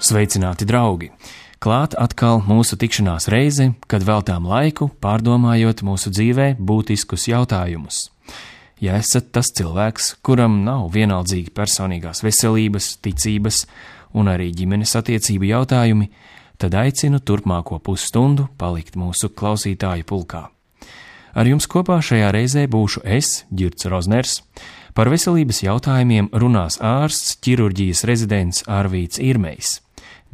Sveicināti, draugi! Klāt atkal mūsu tikšanās reize, kad veltām laiku pārdomājot mūsu dzīvē būtiskus jautājumus. Ja esat tas cilvēks, kuram nav vienaldzīgi personīgās veselības, ticības un arī ģimenes attiecību jautājumi, tad aicinu turpmāko pusstundu palikt mūsu klausītāju pulkā. Ar jums kopā šajā reizē būšu es, Ģirds Rozners. Par veselības jautājumiem runās ārsts, ķirurģijas rezidents Arvīts Irmejs.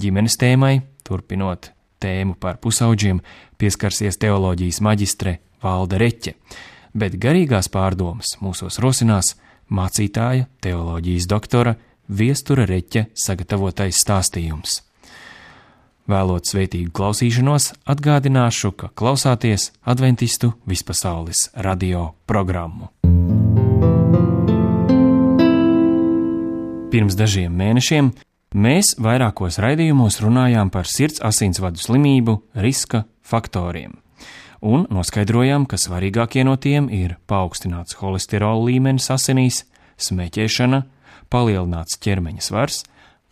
Ģimenes tēmai, turpinot tēmu par pusaudžiem, pieskarsies teoloģijas maģistre Valde Reķe, bet garīgās pārdomas mūsos rosinās mācītāja, teoloģijas doktora Viestura Reķe sagatavotais stāstījums. Vēlot svētīgu klausīšanos, atgādināšu, ka klausāties Adventistu vispasaules radio programmu. Pirms dažiem mēnešiem mēs vairākos raidījumos runājām par sirds asinsvadu slimību riska faktoriem un noskaidrojām, ka svarīgākie no tiem ir paaugstināts holesterola līmenis asinīs, smēķēšana, palielināts ķermeņa svars,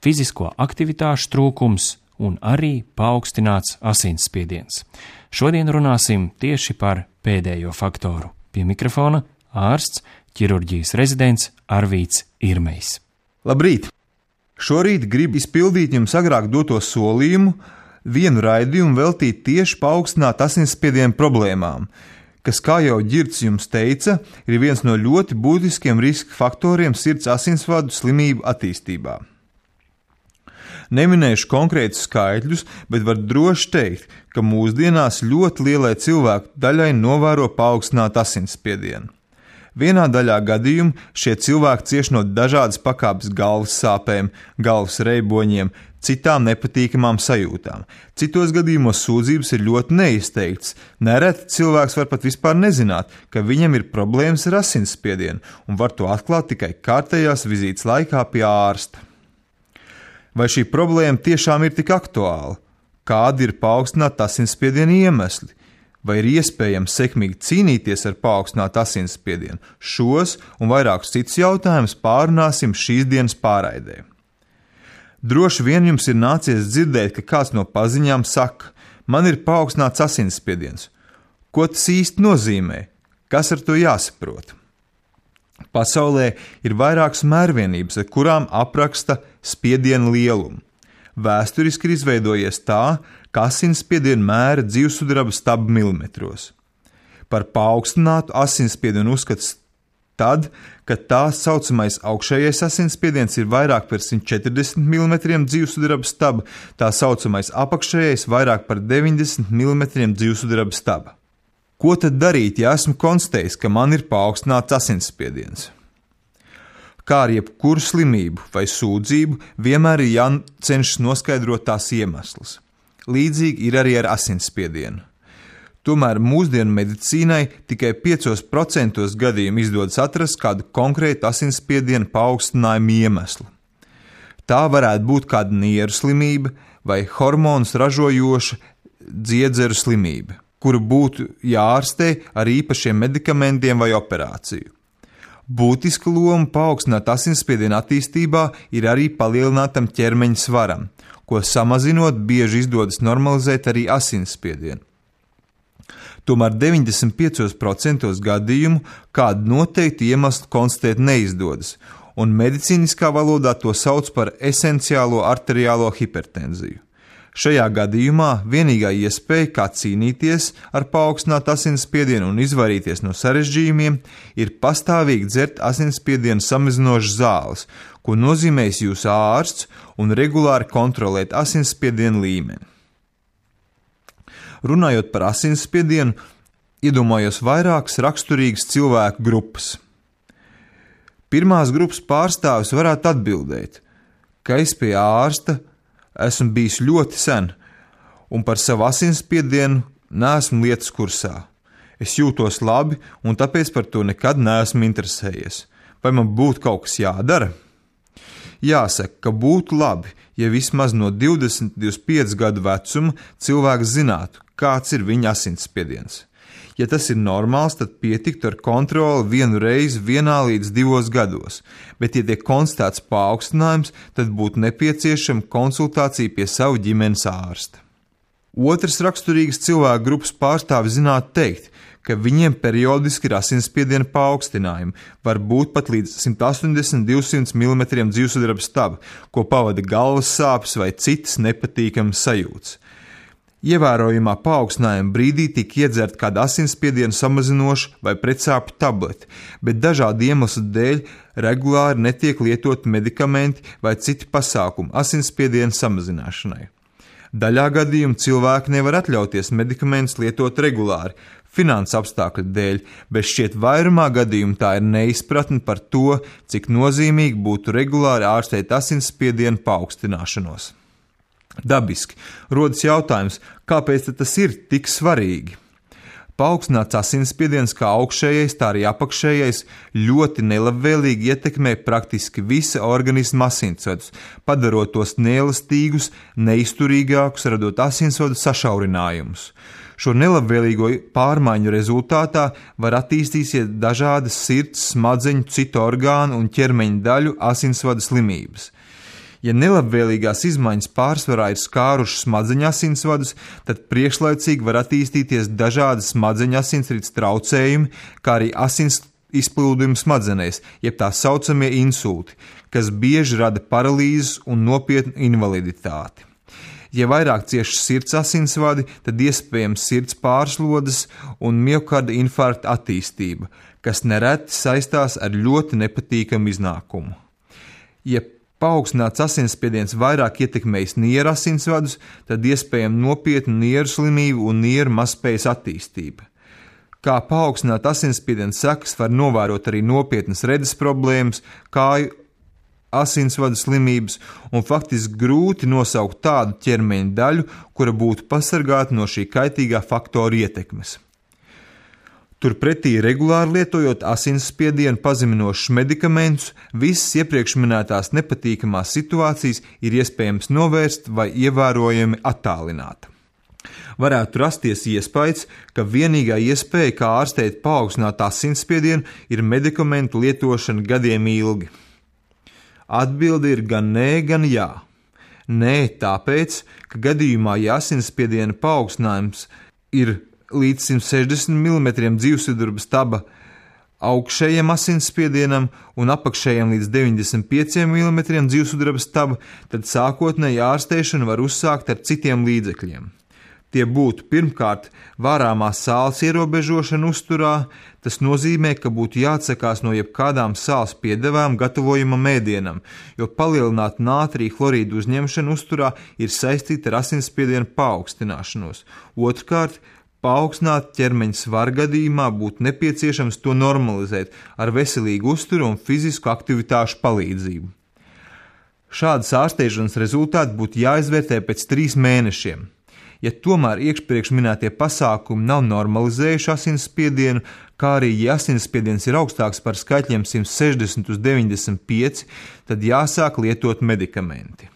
fizisko aktivitāšu trūkums un arī paaugstināts asinsspiediens. Šodien runāsim tieši par pēdējo faktoru. Pie mikrofona ārsts, ķirurģijas rezidents Arvīts Irmejs. Labrīt! Šorīt gribu izpildīt jums agrāk doto solījumu, vienu raidījumu veltīt tieši paaugstināt asinsspiedienu problēmām, kas, kā jau Ģirds jums teica, ir viens no ļoti būtiskiem riska faktoriem sirds asinsvadu slimību attīstībā. Neminēšu konkrētus skaitļus, bet var droši teikt, ka mūsdienās ļoti lielai cilvēku daļai novēro paaugstinātu asinsspiedienu. Vienā daļā gadījumu šie cilvēki cieš no dažādas pakāpes galvas sāpēm, galvas reiboņiem, citām nepatīkamām sajūtām. Citos gadījumos sūdzības ir ļoti neizteiktas. Nereti cilvēks var pat vispār nezināt, ka viņam ir problēmas ar asinsspiedienu un var to atklāt tikai kārtējās vizītes laikā pie ārsta. Vai šī problēma tiešām ir tik aktuāla? Kādi ir paaugstināta asinsspiediena iemesli? Vai ir iespējams sekmīgi cīnīties ar paaugstinātu asinsspiedienu? Šos un vairākus citus jautājumus pārunāsim šīs dienas pārraidē. Droši vien jums ir nācies dzirdēt, ka kāds no paziņām saka: man ir paaugstināts asinsspiediens. Ko tas īsti nozīmē? Kas ar to jāsaprot? Pasaulē ir vairākas mērvienības, ar kurām apraksta spiediena lielumu. Vēsturiski ir izveidojies tā, ka asinsspiedienu mēra dzīvsudraba stabu milimetros. Par paaugstinātu asinsspiedienu uzskats tad, kad tā saucamais augšējais asinsspiediens ir vairāk par 140 mm dzīvsudraba stabu, tā saucamais apakšējais vairāk par 90 mm dzīvsudraba staba. Ko tad darīt, ja esmu konstatējis, ka man ir paaugstināts asinsspiediens? Kā ar jebkuru slimību vai sūdzību, vienmēr ir jācenšas noskaidrot tās iemeslus. Līdzīgi ir arī ar asinsspiedienu. Tomēr mūsdienu medicīnai tikai 5% gadījumu izdodas atrast kādu konkrētu asinsspiedienu paaugstinājumu iemeslu. Tā varētu būt kāda nieru slimība vai hormonus ražojoša dziedzeru slimība, kuru būtu jāārstē ar īpašiem medikamentiem vai operāciju. Būtiska loma paaugstināt asinsspiedienu attīstībā ir arī palielinātam ķermeņa svaram, ko samazinot bieži izdodas normalizēt arī asinsspiedienu. Tomēr 95% gadījumu kādu noteiktu iemeslu konstatēt neizdodas, un medicīniskā valodā to sauc par esenciālo arteriālo hipertenziju. Šajā gadījumā vienīgā iespēja, kā cīnīties ar paaugstinātu asinsspiedienu un izvairīties no sarežģījumiem, ir pastāvīgi dzert asinsspiedienu samazinošas zāles, ko nozīmēs jūsu ārsts, un regulāri kontrolēt asinsspiedienu līmeni. Runājot par asinsspiedienu, iedomājos vairākas raksturīgas cilvēku grupas. Pirmās grupas pārstāvis varētu atbildēt, ka es pie ārsta esmu bijis ļoti sen, un par savu asinsspiedienu neesmu lietas kursā. Es jūtos labi, un tāpēc par to nekad neesmu interesējies. Vai man būtu kaut kas jādara? Jāsaka, ka būtu labi, ja vismaz no 20–25 gadu vecuma cilvēks zinātu, kāds ir viņa asinsspiediens. Ja tas ir normāls, tad pietiktu ar kontroli 1 reizi 1 līdz 2 gados, bet, ja tiek konstatēts paaugstinājums, tad būtu nepieciešama konsultācija pie sava ģimenes ārsta. Otrs raksturīgs cilvēku grupas pārstāvis zinātu teikt, ka viņiem periodiski ir asinsspiediena paaugstinājumi, var būt pat līdz 180–200 mm dzīvsudraba staba, ko pavada galvas sāpes vai citas nepatīkamas sajūtas. Ievērojamā paaugstinājuma brīdī tika iedzerta kāda asinsspiedienu samazinoša vai pretsāpju tablete, bet dažādu iemeslu dēļ regulāri netiek lietoti medikamenti vai citi pasākumi asinsspiediena samazināšanai. Daļā gadījumu cilvēki nevar atļauties medikamentus lietot regulāri, finansu apstākļu dēļ, bet šķiet vairumā gadījumu tā ir neizpratne par to, cik nozīmīgi būtu regulāri ārstēt asinsspiedienu paaugstināšanos. Dabiski rodas jautājums, kāpēc tas ir tik svarīgi? Paaugstināts asinsspiediens kā augšējais, tā arī apakšējais ļoti nelabvēlīgi ietekmē praktiski visa organisma asinsvadus, padarot tos neelastīgus, neizturīgākus, radot asinsvadu sašaurinājumus. Šo nelabvēlīgo pārmaiņu rezultātā var attīstīties dažādas sirds, smadzeņu, citu orgānu un ķermeņa daļu asinsvadu slimības. Ja nelabvēlīgās izmaiņas pārsvarā ir skārušas smadzeņu asinsvadus, tad priekšlaicīgi var attīstīties dažādas smadzeņu asinsrites traucējumi, kā arī asins izplūdumi smadzenēs, jeb tā saucamie insulti, kas bieži rada paralīzes un nopietnu invaliditāti. Ja vairāk cieši sirds asinsvadi, tad iespējams sirds pārslodes un miokarda infarkta attīstība, kas nereti saistās ar ļoti nepatīkamu iznākumu. Ja paaugstināts asinsspiediens vairāk ietekmējis nieru asinsvadus, tad iespējama nopietna nieru slimība un nieru mazspējas attīstība. Kā paaugstināt asinsspiediena sekas var novērot arī nopietnas redzes problēmas, kāju asinsvadu slimības un faktiski grūti nosaukt tādu ķermeņa daļu, kura būtu pasargāta no šī kaitīgā faktora ietekmes. Turpretī regulāri lietojot asinsspiedienu pazeminošus medikamentus, visas iepriekš minētās nepatīkamās situācijas ir iespējams novērst vai ievērojami attālināt. Varētu rasties iespējas, ka vienīgā iespēja, kā ārstēt paaugstināt asinsspiedienu, ir medikamentu lietošana gadiem ilgi. Atbilde ir gan nē, gan jā. Nē, tāpēc, ka gadījumā, ja asinsspiediena paaugstinājums ir līdz 160 mm dzīvsudraba staba augšējam asinsspiedienam un apakšējam līdz 95 mm dzīvsudraba staba, tad sākotnēji ārstēšanu var uzsākt ar citiem līdzekļiem. Tie būtu pirmkārt vārāmās sāls ierobežošana uzturā, tas nozīmē, ka būtu jāatsakās no jebkādām sāls piedevām gatavojamam ēdienam, jo palielināta nātrija chlorīdu uzņemšana uzturā ir saistīta ar asinsspiediena paaugstināšanos. Otrkārt, paaugstināt ķermeņa svaru gadījumā būtu nepieciešams to normalizēt ar veselīgu uzturu un fizisku aktivitāšu palīdzību. Šādas ārstēšanas rezultāti būtu jāizvērtē pēc 3 mēnešiem. Ja tomēr iepriekš minētie pasākumi nav normalizējuši asinsspiedienu, kā arī ja asinsspiediens ir augstāks par skaitļiem 160 uz 95, tad jāsāk lietot medikamenti.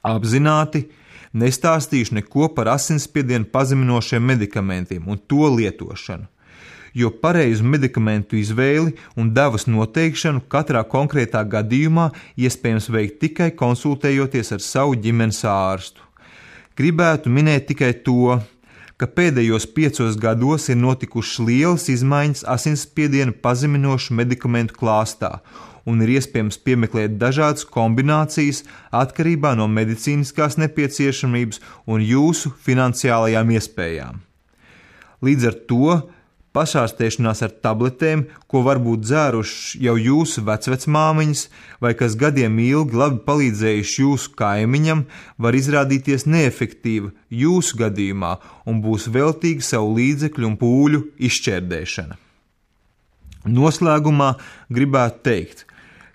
Apzināti nestāstīšu neko par asinsspiedienu pazeminošiem medikamentiem un to lietošanu, jo pareizu medikamentu izvēli un devas noteikšanu katrā konkrētā gadījumā iespējams veikt tikai konsultējoties ar savu ģimenes ārstu. Gribētu minēt tikai to, ka pēdējos 5 gados ir notikušas lielas izmaiņas asinsspiedienu pazeminošu medikamentu klāstā, un ir iespējams piemeklēt dažādas kombinācijas atkarībā no medicīniskās nepieciešamības un jūsu finansiālajām iespējām. Līdz ar to pašārstēšanās ar tabletēm, ko varbūt dzēruši jau jūsu vecvecmāmiņas vai kas gadiem ilgi labi palīdzējuši jūsu kaimiņam, var izrādīties neefektīva jūsu gadījumā un būs veltīga savu līdzekļu un pūļu izšķērdēšana. Noslēgumā gribētu teikt,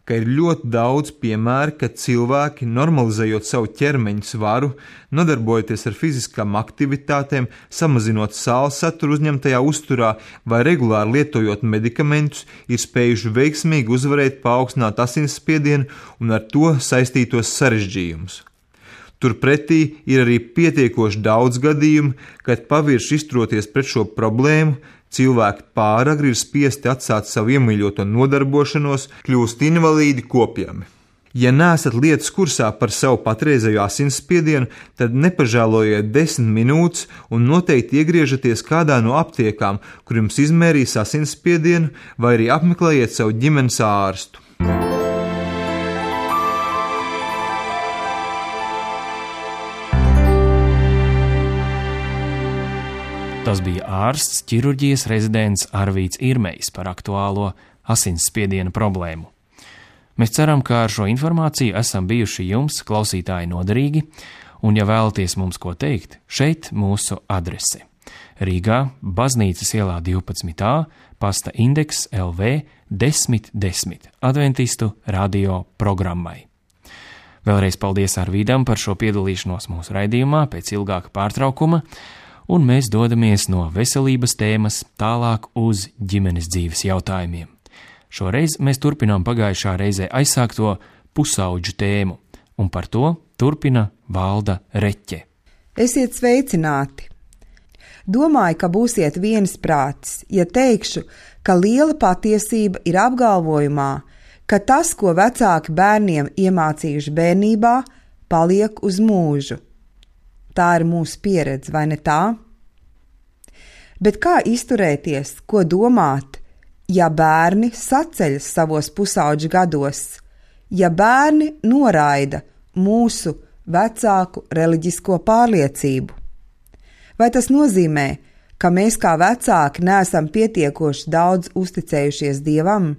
ka ir ļoti daudz piemēru, kad cilvēki, normalizējot savu ķermeņa svaru, nodarbojoties ar fiziskām aktivitātēm, samazinot sāls saturu uzņemtajā uzturā vai regulāri lietojot medikamentus, ir spējuši veiksmīgi uzvarēt paaugstināt asinsspiedienu un ar to saistītos sarežģījumus. Turpretī ir arī pietiekoši daudz gadījumu, kad pavirši izturoties pret šo problēmu, cilvēki pāragri ir spiesti atstāt savu iemīļoto nodarbošanos, kļūst invalīdi kopjami. Ja neesat lietas kursā par savu patreizējo asinsspiedienu, tad nepažēlojiet 10 minūtes un noteikti iegriežaties kādā no aptiekām, kur jums izmērīs asinsspiedienu, vai arī apmeklējiet savu ģimenes ārstu. Tas bija ārsts, ķirurģijas rezidents Arvīds Irmejs par aktuālo asinsspiediena problēmu. Mēs ceram, ka ar šo informāciju esam bijuši jums, klausītāji, noderīgi, un ja vēlaties mums ko teikt, šeit mūsu adrese. Rīgā, Baznīcas ielā 12a, pasta indeks LV 1010, Adventistu radio programmai. Vēlreiz paldies Arvīdam par šo piedalīšanos mūsu raidījumā pēc ilgāka pārtraukuma, un mēs dodamies no veselības tēmas tālāk uz ģimenes dzīves jautājumiem. Šoreiz mēs turpinām pagājušā reizē aizsākto pusauģu tēmu, un par to turpina Valda Reķe. Esiet sveicināti! Domāju, ka būsiet viensprātis, ja teikšu, ka liela patiesība ir apgalvojumā, ka tas, ko vecāki bērniem iemācījuši bērnībā, paliek uz mūžu. Tā ir mūsu pieredze, vai ne tā? Bet kā izturēties, ko domāt, ja bērni saceļas savos pusauģu gados, ja bērni noraida mūsu vecāku reliģisko pārliecību? Vai tas nozīmē, ka mēs kā vecāki neesam pietiekoši daudz uzticējušies Dievam?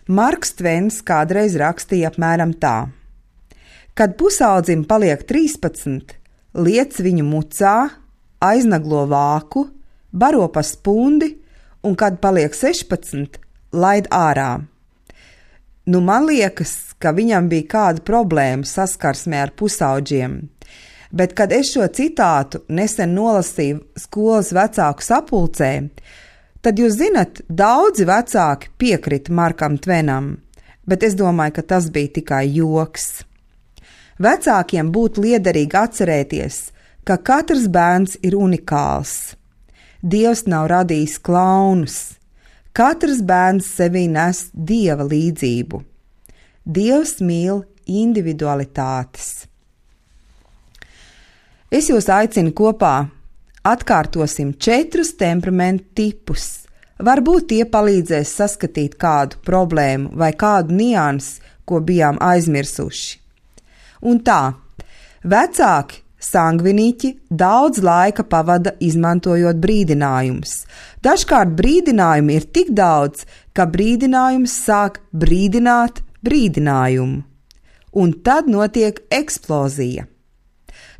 Marks Tvens kādreiz rakstīja apmēram tā: kad pusaudzim paliek 13, liec viņu mucā, aiznaglo vāku, baro pa spundi, un kad paliek 16, laid ārā. Man liekas, ka viņam bija kāda problēma saskarsmē ar pusauģiem, bet, kad es šo citātu nesen nolasīju skolas vecāku sapulcē, tad jūs zinat, daudzi vecāki piekrita Markam Tvenam, bet es domāju, ka tas bija tikai joks. Vecākiem būtu liederīgi atcerēties, ka katrs bērns ir unikāls. Dievs nav radījis klaunus. Katrs bērns sevī nes Dieva līdzību. Dievs mīl individualitātes. Es jūs aicinu kopā atkārtosim 4 temperamentu tipus. Varbūt tie palīdzēs saskatīt kādu problēmu vai kādu niansi, ko bijām aizmirsuši. Un tā, vecāki sangviniķi daudz laika pavada izmantojot brīdinājumus. Dažkārt brīdinājumi ir tik daudz, ka brīdinājums sāk brīdināt brīdinājumu. Un tad notiek eksplozija.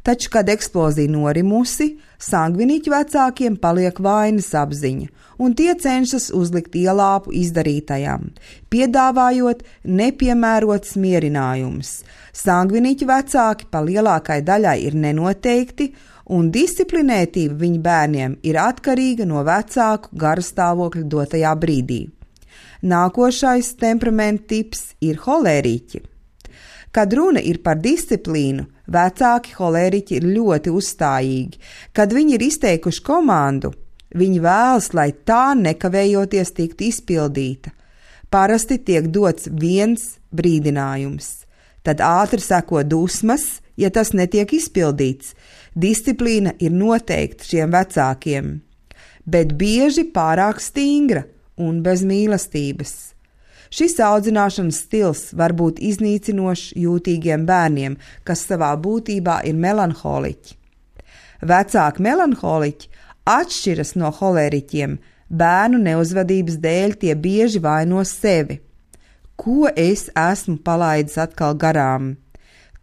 Taču, kad eksplozija norimusi, sangviniķu vecākiem paliek vainas apziņa, un tie cenšas uzlikt ielāpu izdarītajam, piedāvājot nepiemērotus mierinājumus. Sangviniķu vecāki pa lielākai daļai ir nenoteikti, un disciplinētība viņu bērniem ir atkarīga no vecāku garastāvokļa dotajā brīdī. Nākošais temperamentu tips ir holēriķi. Kad runa ir par disciplīnu, vecāki holēriķi ir ļoti uzstājīgi. Kad viņi ir izteikuši komandu, viņi vēlas, lai tā nekavējoties tiktu izpildīta. Parasti tiek dots viens brīdinājums. Tad ātri seko dusmas, ja tas netiek izpildīts. Disciplīna ir noteikta šiem vecākiem, bet bieži pārāk stingra un bez mīlestības. Šis audzināšanas stils var būt iznīcinošs jūtīgiem bērniem, kas savā būtībā ir melanholiķi. Vecāki melanholiķi atšķiras no holēriķiem, bērnu neuzvedības dēļ tie bieži vaino sevi. Ko es esmu palaidis atkal garām?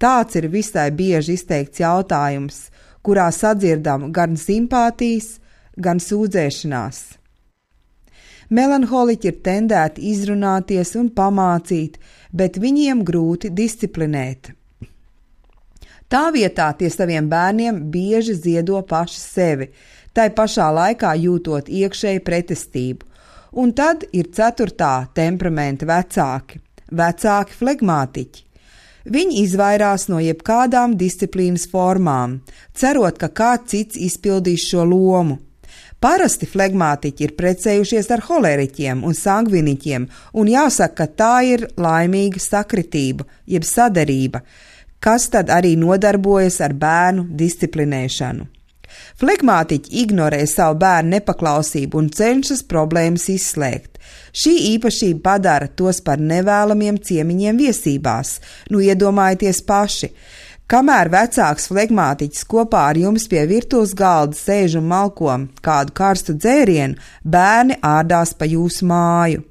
Tāds ir visai bieži izteikts jautājums, kurā sadzirdam gan simpātijas, gan sūdzēšanās. Melanholiķi ir tendēti izrunāties un pamācīt, bet viņiem grūti disciplinēt. Tā vietā tie saviem bērniem bieži ziedo paši sevi, tai pašā laikā jūtot iekšēju pretestību. Un tad ir 4. temperamenta vecāki flegmātiķi. Viņi izvairās no jebkādām disciplīnas formām, cerot, ka kāds cits izpildīs šo lomu. Parasti flegmātiķi ir precējušies ar holeriķiem un sangviniķiem, un jāsaka, ka tā ir laimīga sakritība, jeb saderība, kas tad arī nodarbojas ar bērnu disciplinēšanu. Flegmātiķi ignorē savu bērnu nepaklausību un cenšas problēmas izslēgt. Šī īpašība padara tos par nevēlamiem ciemiņiem viesībās. Nu, iedomājieties paši, kamēr vecāks flegmātiķis kopā ar jums pie virtuves galda sēž un malko kādu karstu dzērienu, bērni ārdās pa jūsu māju.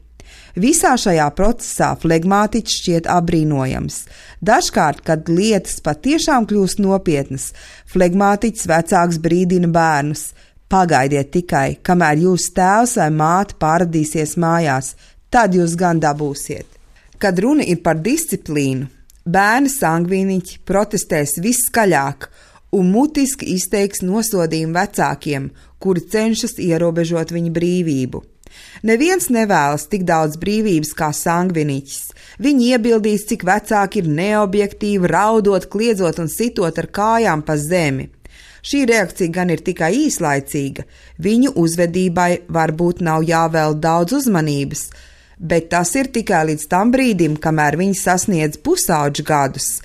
Visā šajā procesā flegmātiķis šķiet apbrīnojams. Dažkārt, kad lietas patiešām kļūst nopietnas, flegmātiķis vecāks brīdina bērnus: pagaidiet tikai, kamēr jūsu tēvs vai māte pāradīsies mājās, tad jūs gan dabūsiet. Kad runa ir par disciplīnu, bērni sangviniķi protestēs viskaļāk un mutiski izteiks nosodījumu vecākiem, kuri cenšas ierobežot viņu brīvību. Neviens nevēlas tik daudz brīvības kā sangviniķis. Viņi iebildīs, cik vecāki ir neobjektīvi, raudot, kliedzot un sitot ar kājām pa zemi. Šī reakcija gan ir tikai īslaicīga, viņu uzvedībai varbūt nav jāvēl daudz uzmanības, bet tas ir tikai līdz tam brīdim, kamēr viņi sasniedz pusauģu gadus.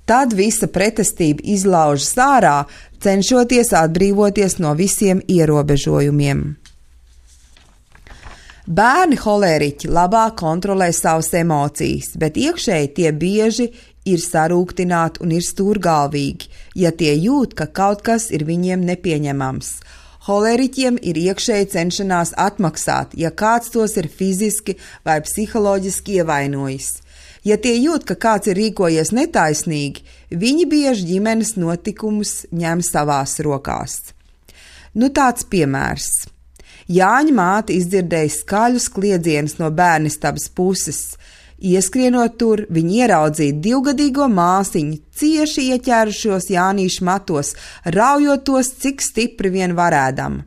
Tad visa pretestība izlaužas ārā, cenšoties atbrīvoties no visiem ierobežojumiem. Bērni holēriķi labāk kontrolē savas emocijas, bet iekšēji tie bieži ir sarūktināti un ir stūrgalvīgi, ja tie jūt, ka kaut kas ir viņiem nepieņemams. Holēriķiem ir iekšēji cenšanās atmaksāt, ja kāds tos ir fiziski vai psiholoģiski ievainojis. Ja tie jūt, ka kāds ir rīkojies netaisnīgi, viņi bieži ģimenes notikumus ņem savās rokās. Nu tāds piemērs. Jāņa māte izdzirdēja skaļus kliedzienus no bērnistabas puses. Ieskrienot tur, viņi ieraudzīja 2-gadīgo māsiņu, cieši ieķērušos Jānīšu matos, raujot tos, cik stipri vien varēdama.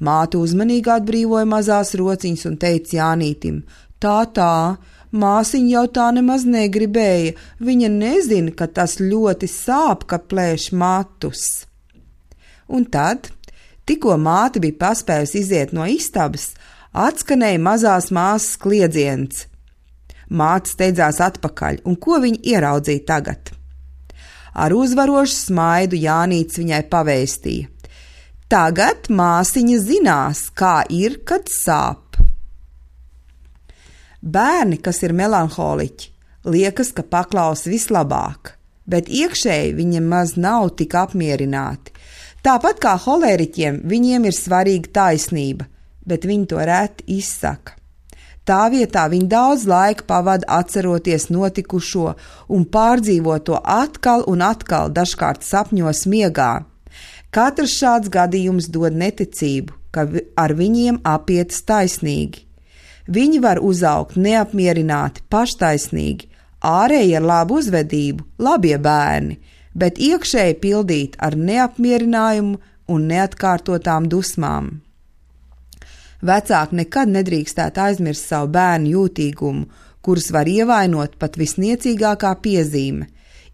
Māte uzmanīgi atbrīvoja mazās rociņas un teica Jānītim: tā, māsiņa jau tā nemaz negribēja, viņa nezina, ka tas ļoti sāp, ka plēš matus. Un tad, tikko māte bija paspējusi iziet no istabas, atskanēja mazās māsas kliedziens. Māte steidzās atpakaļ, un ko viņa ieraudzīja tagad? Ar uzvarošu smaidu Jānīts viņai pavēstīja: tagad māsiņa zinās, kā ir, kad sāp. Bērni, kas ir melanholiķi, liekas, ka paklaus vislabāk, bet iekšēji viņiem maz nav tik apmierināti. Tāpat kā holēriķiem, viņiem ir svarīga taisnība, bet viņi to reti izsaka. Tā vietā viņi daudz laika pavada atceroties notikušo un pārdzīvot to atkal un atkal, dažkārt sapņos miegā. Katrs šāds gadījums dod neticību, ka ar viņiem apietas taisnīgi. Viņi var uzaugt neapmierināti, paštaisnīgi, ārēji ar labu uzvedību, labie bērni, bet iekšēji pildīt ar neapmierinājumu un neatkārtotām dusmām. Vecāki nekad nedrīkstētu aizmirst savu bērnu jūtīgumu, kurus var ievainot pat visniecīgākā piezīme.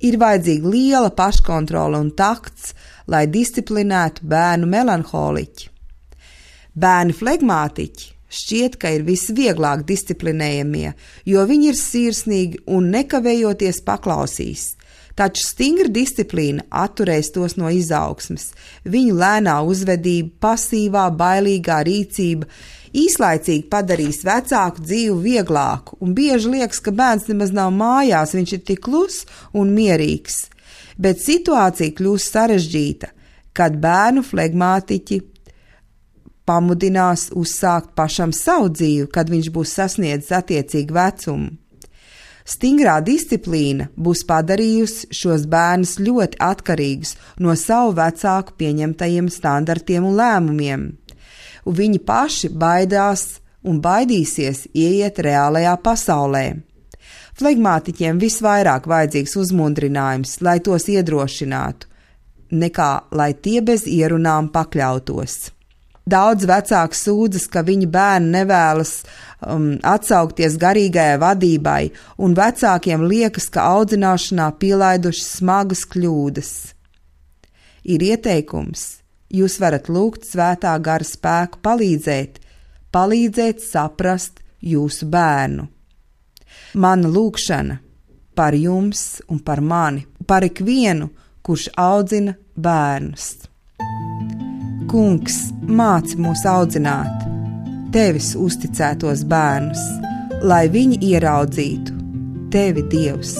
Ir vajadzīga liela paškontrola un takts, lai disciplinētu bērnu melanholiķi. Bērni flegmātiķi šķiet, ka ir visvieglāk disciplinējamie, jo viņi ir sirsnīgi un nekavējoties paklausīs. Taču stingra disciplīna atturēs tos no izaugsmes. Viņu lēnā uzvedība, pasīvā, bailīgā rīcība īslaicīgi padarīs vecāku dzīvi vieglāku, un bieži liekas, ka bērns nemaz nav mājās, viņš ir tik kluss un mierīgs. Bet situācija kļūst sarežģīta, kad bērnu flegmātiķi pamudinās uzsākt pašam savu dzīvi, kad viņš būs sasniedzis attiecīgu vecumu. Stingrā disciplīna būs padarījusi šos bērnus ļoti atkarīgus no savu vecāku pieņemtajiem standartiem un lēmumiem, un viņi paši baidās un baidīsies ieiet reālajā pasaulē. Flegmātiķiem visvairāk vajadzīgs uzmundrinājums, lai tos iedrošinātu, nekā lai tie bez ierunām pakļautos. Daudz vecāku sūdzas, ka viņu bērni nevēlas atsaukties garīgajai vadībai, un vecākiem liekas, ka audzināšanā pielaiduši smagas kļūdas. Ir ieteikums: jūs varat lūgt Svētā gara spēku palīdzēt saprast jūsu bērnu. Mana lūgšana par jums un par mani, par ikvienu, kurš audzina bērnus. Kungs, māci mūs audzināt tevis uzticētos bērnus, lai viņi ieraudzītu tevi, Dievs,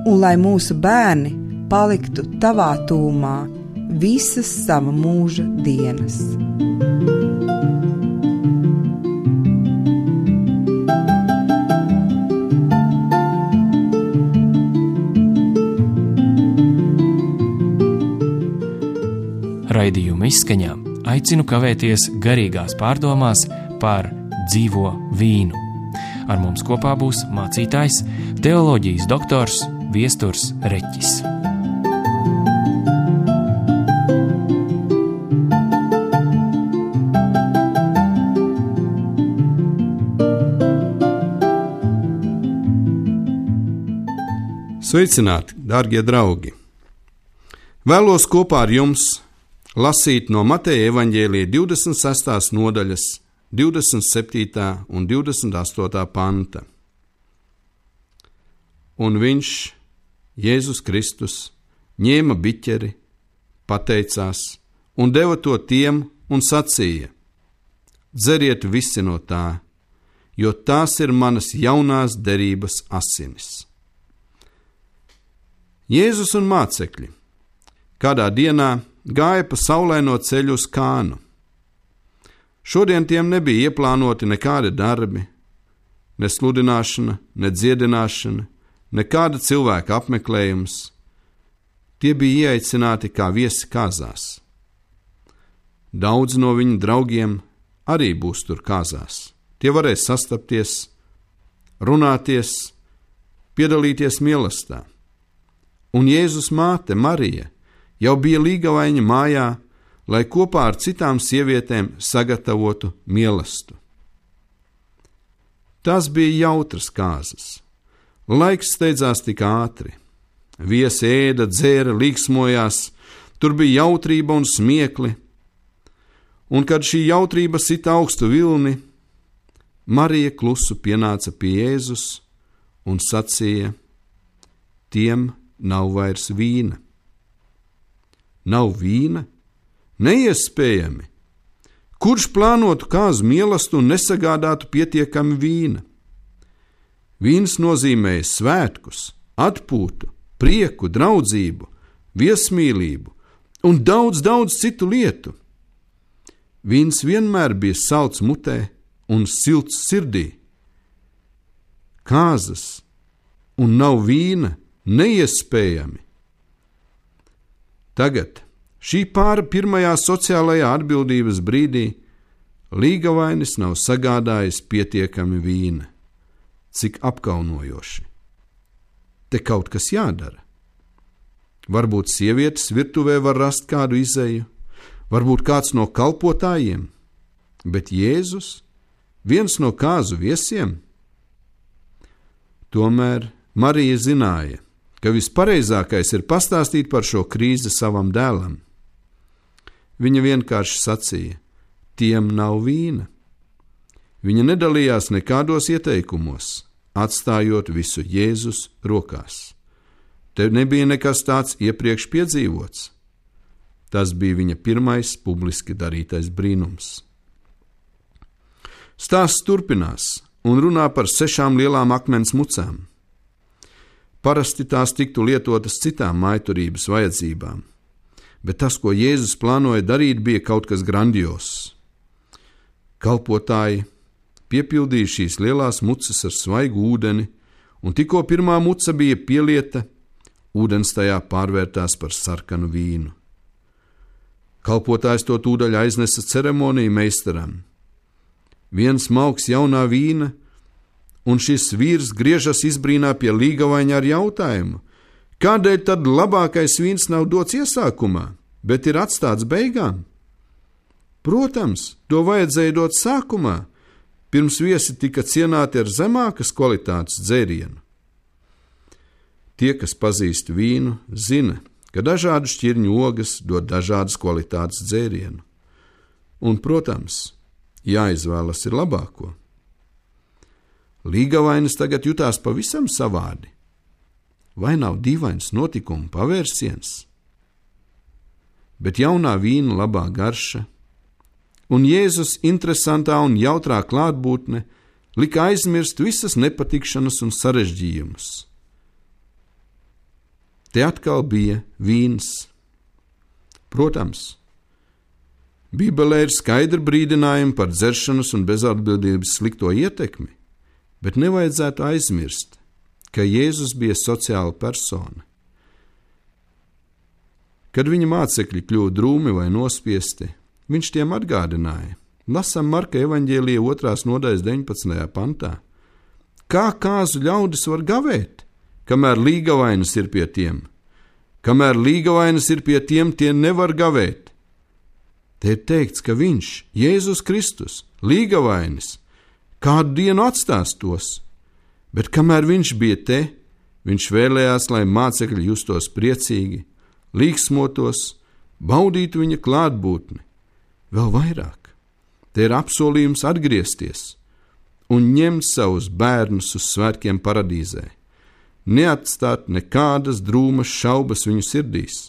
un lai mūsu bērni paliktu tavā tūmā visas sava mūža dienas. Raidījuma izskaņā aicinu kavēties garīgās pārdomās par dzīvo vīnu. Ar mums kopā būs mācītājs, teoloģijas doktors Viesturs Reķis. Sveicināti, dārgie draugi! Vēlos kopā ar jums lasīt no Mateja evaņģēlija 26. nodaļas 27. un 28. panta. Un viņš, Jēzus Kristus, ņēma biķeri, pateicās un deva to tiem un sacīja: dzeriet visi no tā, jo tās ir manas jaunās derības asinis. Jēzus un mācekļi kādā dienā gāja pa saulaino ceļu uz Kānu. Šodien tiem nebija ieplānoti nekādi darbi, ne sludināšana, ne dziedināšana, nekāda cilvēka apmeklējums. Tie bija ieaicināti kā viesi kāzās. Daudz no viņu draugiem arī būs tur kāzās. Tie varēs sastapties, runāties, piedalīties mīlestībā. Un Jēzus māte Marija jau bija līgavaiņa mājā, lai kopā ar citām sievietēm sagatavotu mielastu. Tās bija jautras kāzas. Laiks steidzās tik ātri. Viesi ēda, dzēra, līksmojās, tur bija jautrība un smiekli. Un kad šī jautrība sita augstu vilni, Marija klusu pienāca pie Jēzus un sacīja: tiem nav vairs vīna. Nav vīna? Neiespējami! Kurš plānotu kāzu mielastu un nesagādātu pietiekami vīna? Vīns nozīmēja svētkus, atpūtu, prieku, draudzību, viesmīlību un daudz citu lietu. Vīns vienmēr bija salds mutē un silts sirdī. Kāzas un nav vīna? Neiespējami! Tagad, šī pāra pirmajā sociālajā atbildības brīdī, līgavainis nav sagādājis pietiekami vīna. Cik apkaunojoši! Te kaut kas jādara. Varbūt sievietes virtuvē var rast kādu izeju, varbūt kāds no kalpotājiem, bet Jēzus, viens no kāzu viesiem? Tomēr Marija zināja, ka vispareizākais ir pastāstīt par šo krīzi savam dēlam. Viņa vienkārši sacīja: tiem nav vīna. Viņa nedalījās nekādos ieteikumos, atstājot visu Jēzus rokās. Te nebija nekas tāds iepriekš piedzīvots. Tas bija viņa pirmais publiski darītais brīnums. Stāsts turpinās un runā par 6 lielām akmens mucām. Parasti tās tiktu lietotas citām mājturības vajadzībām, bet tas, ko Jēzus plānoja darīt, bija kaut kas grandios. Kalpotāji piepildīja šīs lielās mucas ar svaigu ūdeni, un tikko pirmā muca bija pielieta, ūdens tajā pārvērtās par sarkanu vīnu. Kalpotājs to tūdaļ aiznesa ceremoniju meistaram. Viens mauks jaunā vīna, un šis vīrs griežas izbrīnā pie līgavaiņa ar jautājumu: kādēļ tad labākais vīns nav dots iesākumā, bet ir atstāts beigām? Protams, to vajadzēja dot sākumā, pirms viesi tika cienāti ar zemākas kvalitātes dzērienu. Tie, kas pazīst vīnu, zina, ka dažādu šķirņu ogas dod dažādas kvalitātes dzērienu. Un, protams, jāizvēlas ir labāko. Līgavainis tagad jutās pavisam savādi. Vai nav dīvains notikumu pavērsiens? Bet jaunā vīna labā garša un Jēzus interesantā un jautrā klātbūtne lika aizmirst visas nepatikšanas un sarežģījumus. Te atkal bija vīns. Protams, Bībelē ir skaidri brīdinājumi par dzeršanas un bezatbildības slikto ietekmi, bet nevajadzētu aizmirst, ka Jēzus bija sociāla persona. Kad viņa mācekļi kļuva drūmi vai nospiesti, viņš tiem atgādināja. Lasām Marka evaņģēlija 2. nodaļas 19. pantā. Kā kāzu ļaudis var gavēt, kamēr līgavainas ir pie tiem? Kamēr līgavainas ir pie tiem, tie nevar gavēt. Te ir teikts, ka viņš, Jēzus Kristus, līgavainis, kādu dienu atstās tos, bet kamēr viņš bija te, viņš vēlējās, lai mācekļi justos priecīgi, līksmotos, baudītu viņa klātbūtni. Vēl vairāk, te ir apsolījums atgriezties un ņemt savus bērnus uz svētkiem paradīzē, neatstāt nekādas drūmas šaubas viņu sirdīs.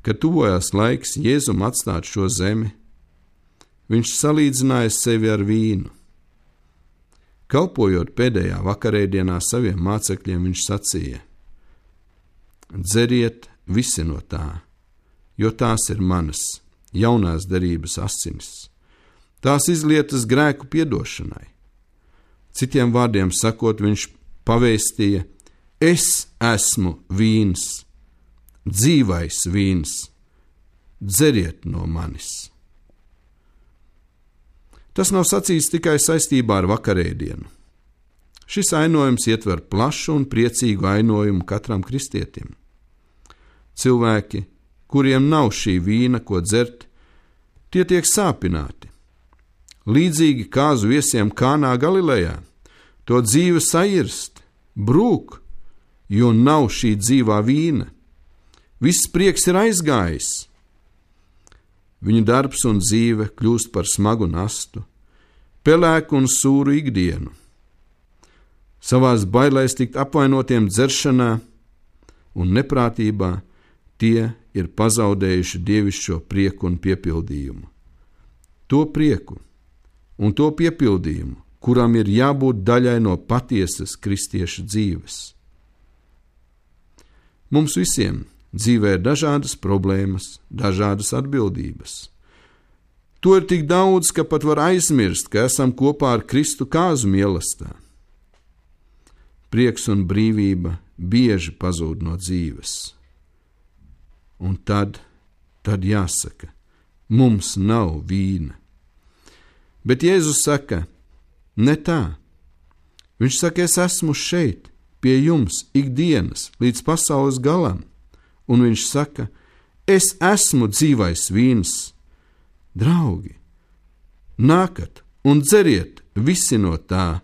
Kad tuvojās laiks Jēzum atstāt šo zemi, viņš salīdzināja sevi ar vīnu. Kalpojot pēdējā vakarēdienā saviem mācekļiem, viņš sacīja: dzeriet visi no tā, jo tās ir manas jaunās derības asinis. Tās izlietas grēku piedošanai. Citiem vārdiem sakot, viņš pavēstīja: es esmu vīns, dzīvais vīns, dzeriet no manis. Tas nav sacīts tikai saistībā ar vakarēdienu. Šis ainojums ietver plašu un priecīgu ainojumu katram kristietim. Cilvēki, kuriem nav šī vīna, ko dzert, tie tiek sāpināti. Līdzīgi kāzu viesiem Kānā Galilejā, to dzīve sairst, brūk, jo nav šī dzīvā vīna. Viss prieks ir aizgājis. Viņu darbs un dzīve kļūst par smagu nastu, pelēku un sūru ikdienu. Savās bailēs tikt apvainotiem dzeršanā un neprātībā tie ir pazaudējuši dievišķo prieku un piepildījumu. To prieku un to piepildījumu, kuram ir jābūt daļai no patiesas kristieša dzīves. Mums visiem dzīvē ir dažādas problēmas, dažādas atbildības. To ir tik daudz, ka pat var aizmirst, ka esam kopā ar Kristu kāzu mīlestībā. Prieks un brīvība bieži pazūd no dzīves. Un tad jāsaka, mums nav vīna. Bet Jēzus saka, ne tā. Viņš saka, es esmu šeit, pie jums ikdienas, līdz pasaules galam. Un viņš saka, es esmu dzīvais vīns. Draugi, nākat un dzeriet visi no tā,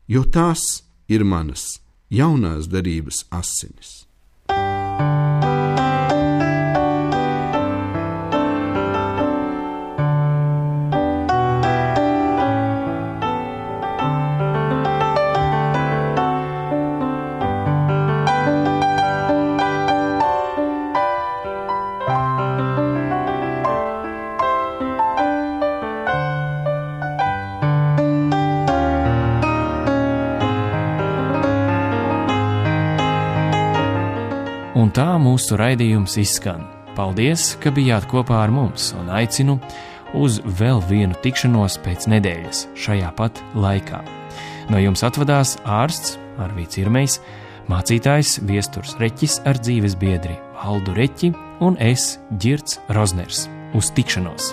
jo tās ir manas jaunās derības asinis. Un tā mūsu raidījums izskan. Paldies, ka bijāt kopā ar mums, un aicinu uz vēl vienu tikšanos pēc nedēļas šajā pat laikā. No jums atvadās ārsts Arvīds Irmejs, mācītājs Viesturs Reķis ar dzīves biedri Valdu Reķi un es, Ģirds Rozners. Uz tikšanos!